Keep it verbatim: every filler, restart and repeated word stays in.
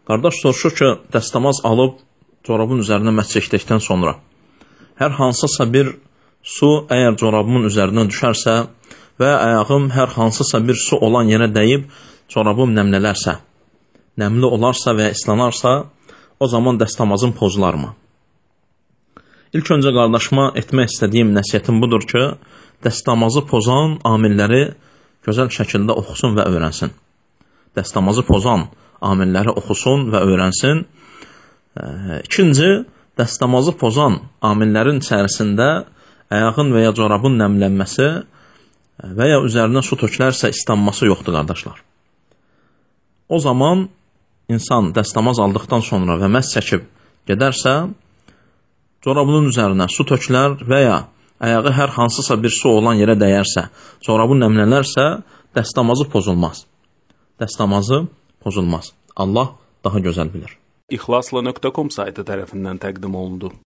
Qardaş soruşur ki, dəstəmaz alıb corabın üzərinə məs çəkdikdən sonra hər hansısa bir su əgər corabımın üzərinə düşərsə və ayağım hər hansısa bir su olan yerə dəyib corabım nəmlələrsə, nəmli olarsa və ya islanarsa, o zaman dəstəmazım pozularmı? İlk öncə qardaşıma etmək istədiyim nəsiyyətim budur ki, dəstəmazı pozan amilləri gözəl şəkildə oxusun və öyrənsin. Dəstəmazı pozan amilləri oxusun və öyrənsin. İkinci, dəstəmazı pozan amillərin içərisində ayağın və ya corabın nəmlənməsi və ya üzərinə su tökülərsə islanması yoxdur, qardaşlar. O zaman insan dəstəmaz aldıqdan sonra və məs çəkib gedərsə, corabının üzərinə su tökülər və ya ayağı hər hansısa bir su olan yerə dəyərsə, corabı nəmlənərsə, dəstəmazı pozulmaz. Dəstəmazı pozulmaz. Allah daha gözəl bilir. İxlasla nöqtə com saytı tərəfindən təqdim olundu.